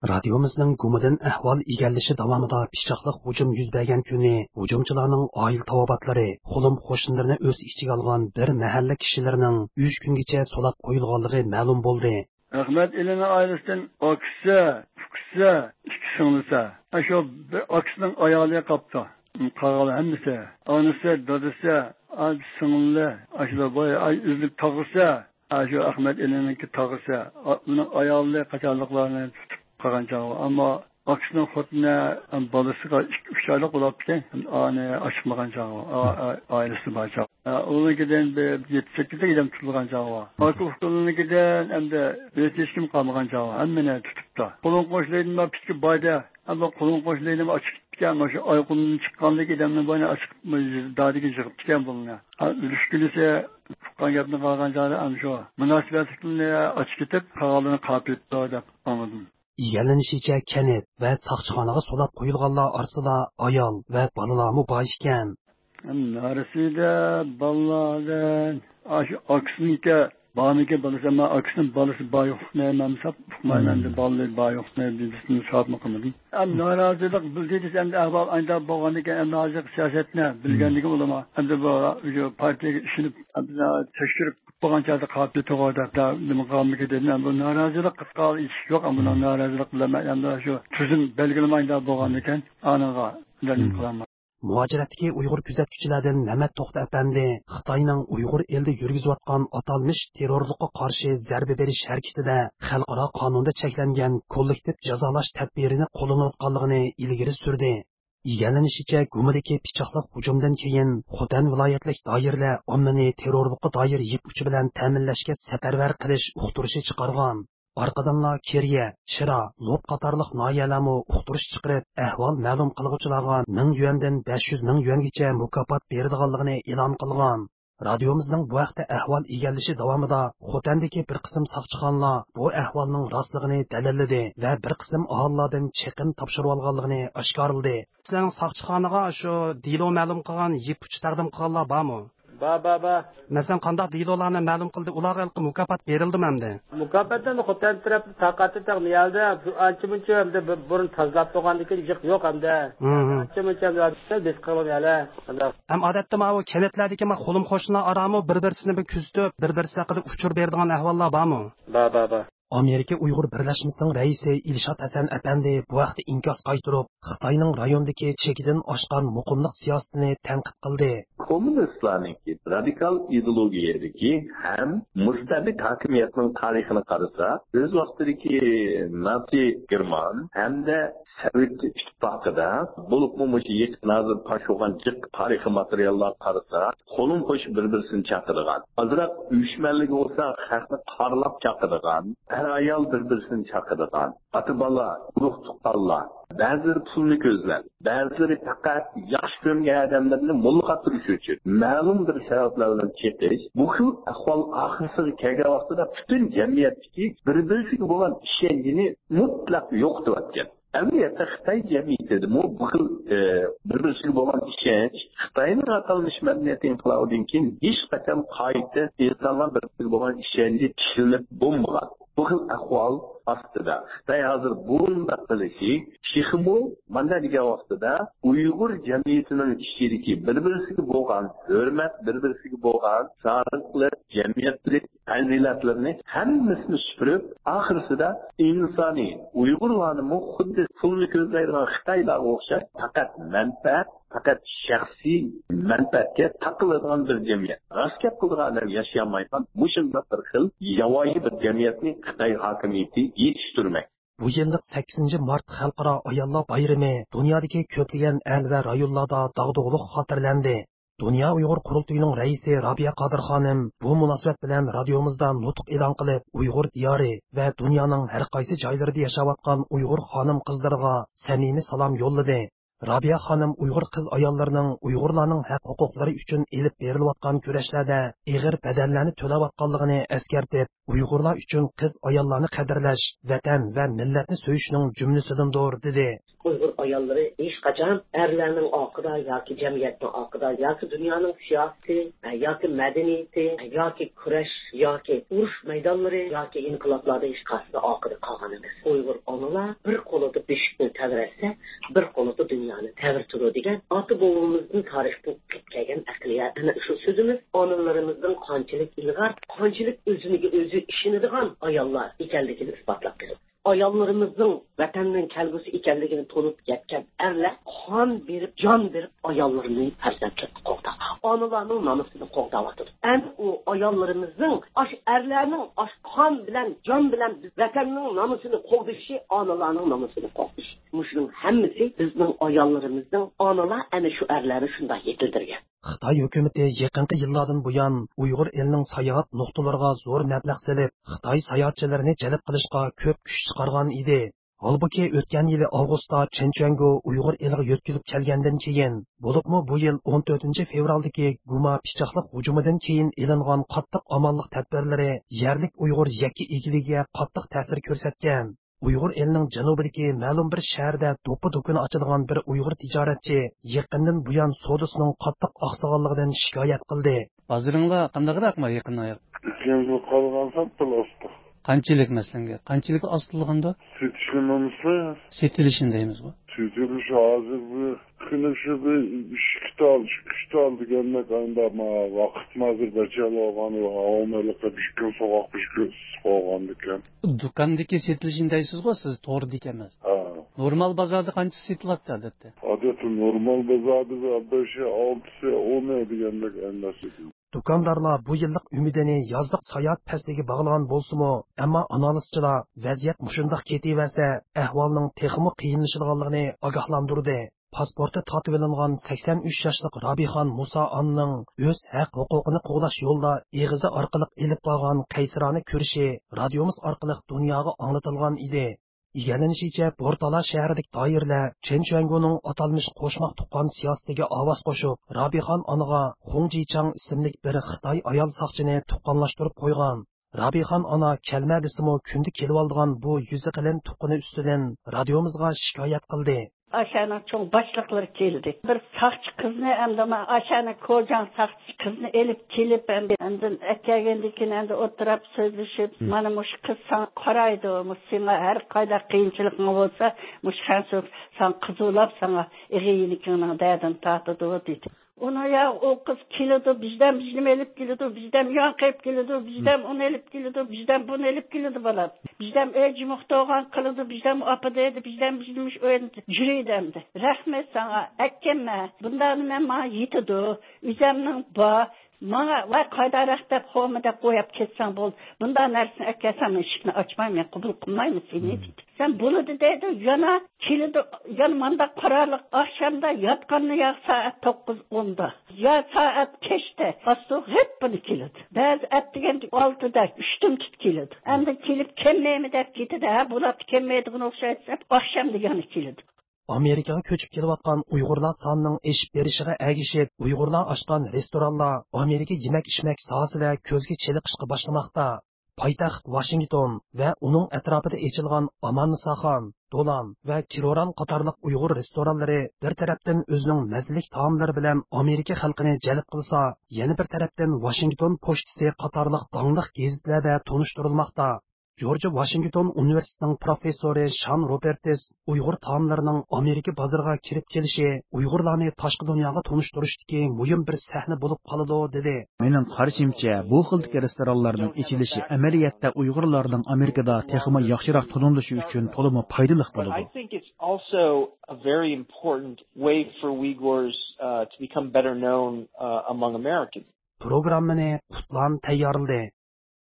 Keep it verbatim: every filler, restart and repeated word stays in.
رادىيومىزنىڭ گۇمىدىن ئەھۋال ئىگىلىشى داۋامىدا پىچاقلىق ھۇجۇم يۈز بەرگەن كۈنى ھۇجۇمچىلارنىڭ ئائىلە تاۋابىئاتلىرى، قولۇم-قوشنىلىرىنى ئۆز ئىچىگە ئالغان بىر مەھەللە كىشىلىرىنىڭ ئۈچ كۈنگىچە سولاپ قويۇلغانلىقى مەلۇم بولدى. ئەخمەت ئېلىنىڭ ئائىلىسىدىن ئاكىسى، ئۇكىسى، ئىككى سىڭلىسى، ئاشۇ بىر ئاكىسىنىڭ ئايالى قاپتۇ. قالغان ھەممىسى، ئانىسى، دادىسى، ئا، سىڭلى، ئاشۇلار بار، ئاي، ئۆزلۈك تاغىسى، ئاشۇ ئەخمەت ئېلىنىڭكى تاغىسى، ئا، ئۇنىڭ ئايالى قاچانلىقلارنى تۇتۇپ قالغان چاغى. ئەمما ئاكىسىنىڭ خوتۇنى، ئەم، بالىسىغا ئىككى، ئۈچ ئايلىق بولاپتىكەن. ئانى ئاچىقمىغان چاغى، ئا-، ئا-، ئائىلىسى بار چاغى. ئا، ئۇنىڭكىدىن بىر يەتتە، سەككىز ئادەم تۇتۇلغان چاغى بار. ئاكا ئۇكىلىرىنىڭكىدىن ئەمدى ھېچ كىم قالمىغان چاغى بار. ھەممىنى تۇتۇپتۇ. قولۇم قوشنىلىرىدىن بار پىتكە بايدى. ئەمما قولۇم قوشنىلىرىنى ئاچىقىپتىكەن. مانا شۇ ئايقۇمدىن چىققانلىكى ئادەمنى باينى ئاچىقىپ، دادىگە يىغىپتىكەن بۇلارنى. ھا، ئۆلۈش كۈنىسى ئۇققان گەپنى قالغان چاغدا ئەمدى شۇ مۇناسىۋەتلىكلىرىنى ئاچىقىپ كېتىپ، قالغانلىرىنى قاپىيىپتۇ دەپ ئاڭلىدىم. ئىگىلىنىشىچە، كەنت ۋە ساقچىخانىغا سولاپ قويۇلغانلار ئارىسىدا ئايال ۋە بالىلارمۇ بار ئىكەن. نارەسىدە بالىلاردىن، ئاشۇ ئاكىسىنىڭكى بارمىكىن بالىسى، ئەمما ئاكىسىنىڭ بالىسى بار يوقلۇقىنى ھەم ھېساب ئۇقمايمەن، ئەمدى بالىلىرى بار يوقلۇقىنى بىلسىمۇ ھېسابمۇ قىلمىدىم. ئەمدى نارازىلىق بىلدى دېسە، ئەمدى ئەھۋال ئايدا بولغاندىكىن، ئەمدى ھازىرقى سىياسەتنى بىلگەندىكىن ئۇلارمۇ ئەمدى بۇ، شۇ پارتىيەگە ئىشىنىپ، ئەمدى تەكشۈرۈپ بولغان چاغدا قاپىيە توغرا دەپ، نېمە قىلغانمىكىن دېدىم. ئەمدى نارازىلىق قىلىدىغان ئىش يوق، ئەمدى نارازىلىق بىلەن مەن ئەمدى شۇ تۈزۈم بەلگىلىمە ئايدا بولغاندىكىن، ئانىڭغا نېمە قىلالمايمەن. مۇھاجىرەتتىكى ئۇيغۇر كۆزەتكۈچىلەردىن مەمەت توختى ئەپەندى خىتاينىڭ ئۇيغۇر ئېلىدە يۈرگۈزۈۋاتقان ئاتالمىش تېررورلۇققا قارشى زەربە بېرىش ھەرىكىتىدە خەلقئارا قانۇندا چەكلەنگەن كوللېكتىپ جازالاش تەدبىرىنى قوللىنىۋاتقانلىقىنى ئىلگىرى سۈردى. ئىگىلىنىشىچە، گۇمىدىكى پىچاقلىق ھۇجۇمدىن كېيىن، خوتەن ۋىلايەتلىك دائىرىلەر ئاممىنى تېررورلۇققا دائىر يىپ ئۇچى بىلەن تەمىنلەشكە سەپەرۋەر قىلىش ئۇقتۇرۇشى چىقارغان. ئارقىدىنلا كېرىيە، شىرا، لوپ قاتارلىق ناھىيەلەرمۇ ئۇقتۇرۇش چىقىرىپ، ئەھۋال مەلۇم قىلغۇچىلارغا مىڭ يۈەندىن بەش يۈز مىڭ يۈەنگىچە مۇكاپات بېرىدىغانلىقىنى ئېلان قىلغان. رادىيومىزنىڭ بۇ ھەقتە ئەھۋال ئىگىلىشى داۋامىدا خوتەندىكى بىر قىسىم ساقچىخانىلار بۇ ئەھۋالنىڭ راستلىقىنى دەلىللىدى ۋە بىر قىسىم ئاھالىلەردىن چېقىم تاپشۇرۇۋالغانلىقىنى ئاشكارىلىدى. سىلەرنىڭ ساقچىخانىغا شۇ دېلو مەلۇم قىلغان، يىپ ئۇچى تەقدىم قىلغانلار بارمۇ؟ بار، بار، بار. مەسىلەن، قانداق دېلولارنى مەلۇم قىلدى؟ ئۇلارغا ھېلىقى مۇكاپات بېرىلدىمۇ ئەمدى؟ مۇكاپات ئەمدى خوتەن تەرەپتىن تاقاتى تەق نىيەلدە بىر ئانچە مۇنچە ئەمدى بىر بۇرۇن تازىلاپ بولغاندىن كېيىن جىق يوق ئەمدى. ھىم، ھىم. ئانچە مۇنچە ئەمدى بىز قىلغان يەلە. ئەمدى ئەم ئادەتتە ماۋۇ كەنتلەردىكى ما قولۇم قوشنىلار ئارامۇ بىر بىرسىنى بىر كۆزىتىپ، بىر بىرسى ھەققىدە ئۇچۇر بېرىدىغان ئەھۋاللار بارمۇ؟ بار، بار، بار. ئامېرىكا ئۇيغۇر بىرلەشمىسىنىڭ رەئىسى ئىلشات ھەسەن ئەپەندى بۇ ھەقتە ئىنكاس قايتۇرۇپ، خىتاينىڭ رايوندىكى چېكىدىن ئاشقان مۇقىملىق سىياسىتىنى تەنقىد قىلدى. كوممۇنىستلارنىڭكى رادىكال ئىدېئولوگىيەدىكى ھەم مۇستەبىت ھاكىمىيەتنىڭ تارىخىنى قارىسا، ئۆز ۋاقتىدىكى ناتسى گېرمان ھەمدە سوۋېت ئىتتىپاقىدا، بولۇپمۇ مۇشۇ يېقىن ھازىر پاش بولغان جىق تارىخىي ماتېرىياللارغا قارىسا، قولۇم قوشۇپ بىر-بىرسىنى چاقىدىغان، ئازراق ئۆچمەنلىك بولسا خەقنى قارىلاپ چاقىدىغان، ئەر-ئايال بىر-بىرسىنى چاقىدىغان، ئاتا-بالا، ئۇرۇق-تۇغقانلار، بەزىلىرى پۇلنى كۆزلەپ، بەزىلىرى پەقەت ياخشى كۆرمىگەن ئادەملىرىنى موللا قاتۇرۇش ئۈچۈن مەلۇم بىر سەۋەبلەر بىلەن چېقىش، بۇ خىل ئەھۋال ئاخىرسىغا كەلگەن ۋاقتىدا پۈتۈن جەمئىيەتتىكى بىر-بىرسىگە بولغان ئىشەنچىنى مۇتلەق يوقىتىۋەتكەن. ئەمەلىيەتتە خىتاي جەمئىيىتىدىمۇ بۇ خىل، ئە، بىر-بىرسىگە بولغان ئىشەنچ خىتاينىڭ ئاتالمىش مەدەنىيەت ئىنقىلابىدىن كېيىن ھېچقاچان قايتا ئىنسانلار بىر-بىرىگە بولغان ئىشەنچى تىكلىنىپ بولمىغان. بۇ خىل ئەھۋال ئاستىدا خىتاي ھازىر بۇنداق قىلىشى تېخىمۇ مانا دېگەن ۋاقتىدا ئۇيغۇر جەمئىيىتىنىڭ ئىچىدىكى بىر-بىرسىگە بولغان ھۆرمەت، بىر-بىرسىگە بولغان سادىقلىق، جەمئىيەتلىك پەزىلەتلىرىنى ھەممىسىنى سۈپۈرۈپ، ئاخىرسىدا ئىنسانىي ئۇيغۇرلارنىمۇ خۇددى پۇلنى كۆزلەيدىغان خىتايلارغا ئوخشاش پەقەت مەنپەئەت، پەقەت شەخسىي مەنپەئەتكە تاقىلىدىغان بىر جەمئىيەت. راست گەپ قىلىدىغان ئادەم ياشىيالمايدىغان مۇشۇنداق بىر خىل ياۋايى بىر جەمئىيەتنى خىتاي ھاكىمىيىتى يېتىشتۈرمەكتە. بۇ يىللىق سەككىزىنچى مارت خەلقئارا ئاياللار بايرىمى دۇنيادىكى كۆپلىگەن ئەل ۋە رايونلاردا داغدۇغىلىق خاتىرىلەندى. دۇنيا ئۇيغۇر قۇرۇلتىيىنىڭ رەئىسى رابىيە قادىر خانىم بۇ مۇناسىۋەت بىلەن رادىيومىزدا نۇتۇق ئېلان قىلىپ، ئۇيغۇر دىيارى ۋە دۇنيانىڭ ھەر قايسى جايلىرىدا ياشاۋاتقان ئۇيغۇر خانىم-قىزلىرىغا سەمىمىي سالام يوللىدى. رابىيە خانىم ئۇيغۇر قىز-ئاياللىرىنىڭ ئۇيغۇرلارنىڭ ھەق-ھوقۇقلىرى ئۈچۈن ئېلىپ بېرىلىۋاتقان كۈرەشلەردە ئېغىر بەدەللەرنى تۆلەۋاتقانلىقىنى ئەسكەرتىپ، ئۇيغۇرلار ئۈچۈن قىز-ئاياللارنى قەدىرلەش، ۋەتەن ۋە مىللەتنى سۆيۈشنىڭ جۈملىسىدىندۇر، دېدى. ئۇيغۇر ئاياللىرى ھېچقاچان ئەرلەرنىڭ ئارقىدا ياكى جەمئىيەتنىڭ ئارقىدا ياكى دۇنيانىڭ سىياسىتى ياكى مەدەنىيىتى ياكى كۈرەش ياكى ئۇرۇش مەيدانلىرى ياكى ئىنقىلابلاردا ھېچقايسىدا ئارقىدا قالغان ئەمەس. ئۇيغۇر ئانىلار بىر قولىدا بېشىكنى تەۋرەتسە، بىر قولىدا دۇنيانى تەۋرىتىدۇ دېگەن ئاتا-بوۋىمىزدىن تارىختىن قېلىپ كەلگەن ئەقلىيەت. ئەنە شۇ سۆزىمىز ئانىلىرىمىزنىڭ قانچىلىك ئىلغار، قانچىلىك ئۆزىنىگە ئۆزى ئىشىنىدىغان ئاياللار ئىكەنلىكىنى ئىسپاتلاپ بېرىدۇ. ئاياللىرىمىزنىڭ ۋەتەننىڭ كەلگۈسى ئىكەنلىكىنى تونۇپ يەتكەن ئەرلەر قان بېرىپ، جان بېرىپ ئاياللىرىنى پەرزەنتلىرىنى قوغداپ، ئانىلارنىڭ نامۇسىنى قوغداۋاتىدۇ. ئەنە ئۇ ئاياللىرىمىزنىڭ ئاشۇ ئەرلەرنىڭ ئاشۇ قان بىلەن، جان بىلەن بىز ۋەتەننىڭ نامۇسىنى قوغدىشى، ئانىلارنىڭ نامۇسىنى قوغدىشى. مۇشۇنىڭ ھەممىسى بىزنىڭ ئاياللىرىمىزنىڭ، ئانىلار ئەنە شۇ ئەرلەرنى شۇنداق يېتىلدۈرگەن. خىتاي ھۆكۈمىتى يېقىنقى يىللاردىن بۇيان ئۇيغۇر ئېلىنىڭ ساياھەت نۇقتىلىرىغا زور مەبلەغ سېلىپ، خىتاي ساياھەتچىلىرىنى جەلپ قىلىشقا كۆپ كۈچ چىقارغان ئىدى. ھالبۇكى، ئۆتكەن يىلى ئاۋغۇستتا چېن چۈەنگو ئۇيغۇر ئېلىغا يۆتكىلىپ كەلگەندىن كېيىن، بولۇپمۇ بۇ يىل ئون تۆتىنچى فېۋرالدىكى گۇما پىچاقلىق ھۇجۇمىدىن كېيىن ئېلىنغان قاتتىق ئامانلىق تەدبىرلىرى يەرلىك ئۇيغۇر يەككە ئىگىلىكىگە قاتتىق تەسىر كۆرسەتكەن. ئۇيغۇر ئېلىنىڭ جەنۇبىدىكى مەلۇم بىر شەھەردە دوپپا دۇكىنى ئاچىدىغان بىر ئۇيغۇر تىجارەتچى يېقىندىن بۇيان سودىسىنىڭ قاتتىق ئاقسىغانلىقىدىن شىكايەت قىلدى. بازىرىڭلار قانداقراقما يېقىندا؟ يېقىندا قالغان سەل ئاستى. قانچىلىك مەسىلەن؟ قانچىلىك ئاستىلىغاندا؟ سېتىشنى ئەمەسمۇ؟ سېتىلىشىنى دەيمىزغۇ. سېتىلىش ھازىر بىر كۈنى شۇ بىر ئىككى تال، ئۈچ تال دېگەندەك، ئەمدى ما ۋاقىت ھازىر بەچەل بولغان، ھاۋا مەلىقى بىر كۈن سوغۇق، بىر كۈن ئىسسىق بولغاندىكەن. دۇكاندىكى سېتىلىشىنى دەيسىزغۇ سىز، توردىكى ئەمەس. ھە. نورمال بازاردا قانچە سېتىلاتتى ئادەتتە؟ ئادەتتە نورمال بازاردا بىر بەشى، ئالتىسى، ئونى دېگەندەك ئەمەس ئىدى. دۇكاندارلار بۇ يىللىق ئۈمىدىنى يازلىق ساياھەت پەسلىگە باغلىغان بولسىمۇ، ئەمما ئانالىزچىلار ۋەزىيەت مۇشۇنداق كېتىۋەرسە، ئەھۋالنىڭ تېخىمۇ قىيىنلىشىدىغانلىقىنى ئاگاھلاندۇردى. پاسپورتى تارتىۋېلىنغان سەكسەن ئۈچ ياشلىق رابىخان مۇسا ئانىنىڭ ئۆز ھەق-ھوقۇقىنى قوغداش يولىدا ئېغىزى ئارقىلىق ئېلىپ بارغان قەيسىرانە كۈرىشى رادىيومىز ئارقىلىق دۇنياغا ئاڭلىتىلغان ئىدى. ئىگىلىنىشىچە، بورتالا شەھىرىدىكى دائىرىلەر چېن چۈەنگونىڭ ئاتالمىش قوشماق تۇغقان سىياسىتىگە ئاۋاز قوشۇپ، رابىخان ئانىغا خۇڭ جىچاڭ ئىسىملىك بىر خىتاي ئايال ساقچىنى تۇغقانلاشتۇرۇپ قويغان. رابىخان ئانا كەلمە دېسىمۇ، كۈندە كېلىۋالىدىغان بۇ يۈزى قېلىن تۇغقىنى ئۈستىدىن رادىيومىزغا شىكايەت قىلدى. ئاشۇنىڭ چوڭ باشلىقلىرى كەلدى. بىر ساقچى قىزنى ئەمدى ما ئاشۇنىڭ كوجاڭ ساقچى قىزنى ئېلىپ كېلىپ، ئەمدى ئاندىن ئەكەلگەندىن كېيىن ئەمدى ئولتۇراپ سۆزلىشىپ، مم. مانا مۇشۇ قىز ساڭا قارايدۇ، مۇ-، سېڭا ھەر قانداق قىيىنچىلىقىڭ بولسا، مۇشۇ خەنسۇ ساڭا قىزۇلاپ، ساڭا ئېغىر يېنىكىڭنىڭ دەردىنى تارتىدۇ، دېدى. ئۇنىڭ يا ئۇ قىز كېلىدۇ، بىزدەم بىزنېمە ئېلىپ كېلىدۇ، بىزدەم ياڭ قېلىپ كېلىدۇ، بىزدەم ئۇنى ئېلىپ كېلىدۇ، بىزدەم بۇنى ئېلىپ كېلىدۇ، بالام. بىزدەم ئۆي جىمىق تۇغان قىلىدۇ، بىزدەم ئاپا دەيدۇ، بىزدەم بىزنى مۇشۇ ئۆيدە يۈرىدۇ ئەمدى. رەھمەت ساڭا، ئەكەممە. بۇنداق نېمە ماڭا يېتىدۇ. ئۆزەمنىڭ بار. ماڭا ۋاي قايداراق دەپ، خومۇ دەپ قويۇپ كەتسەڭ بولدى. بۇنداق نەرسىنى ئەكەلسەڭ، مەن ئىشىكنى ئاچمايمەن، قوبۇل قىلمايمەن سېنى، دېدى. سەن بولىدۇ دەيدۇ، يەنە كېلىدۇ، يەنە مانداق قارارلىق ئاخشامدا ياتقاندا يا سائەت توققۇز ئوندا، يا سائەت كەچتە ئاستۇ غىپپىنى كېلىدۇ. بەزى ئەتىگەندە ئالتىدا، ئۈچتىن تۇت كېلىدۇ. ئەمدى كېلىپ كەلمەيمەن دەپ كېتىدۇ، ھە، بۇلار كەلمەيدىغان ئوخشايدۇ دەپ ئاخشامدا يەنە كېلىدۇ. ئامېرىكىغا كۆچۈپ كېلىۋاتقان ئۇيغۇرلار سانىنىڭ ئېشىپ بېرىشىغا ئەگىشىپ، ئۇيغۇرلار ئاچقان رېستورانلار ئامېرىكا يېمەك-ئىچمەك ساھەسىدە كۆزگە چېلىقىشقا باشلىماقتا. پايتەخت ۋاشىنگتون ۋە ئۇنىڭ ئەتراپىدا ئېچىلغان ئاماننىساخان، دولان ۋە كىروران قاتارلىق ئۇيغۇر رېستورانلىرى بىر تەرەپتىن ئۆزىنىڭ مەززىلىك تائاملىرى بىلەن ئامېرىكا خەلقىنى جەلپ قىلسا، يەنە بىر تەرەپتىن ۋاشىنگتون پوچتىسى قاتارلىق داڭلىق گېزىتلەردە تونۇشتۇرۇلماقتا. جورج ۋاشىنگتون ئۇنىۋېرسىتېتىنىڭ پروفېسسورى شان روبېرتس ئۇيغۇر تائاملىرىنىڭ ئامېرىكا بازىرىغا كىرىپ كېلىشى ئۇيغۇرلارنى تاشقى دۇنياغا تونۇشتۇرۇشتىكى مۇھىم بىر سەھنە بولۇپ قالىدۇ، دېدى. مېنىڭ قارىشىمچە، بۇ خىلدىكى رېستورانلارنىڭ ئېچىلىشى ئەمەلىيەتتە ئۇيغۇرلارنىڭ ئامېرىكىدا تېخىمۇ ياخشىراق تونۇلۇشى ئۈچۈن تولىمۇ پايدىلىق بولىدۇ. I think it's also a very important way for Uyghurs, uh, to become better known, uh, among Americans. پروگراممىنى قۇتلان تەييارلىدى.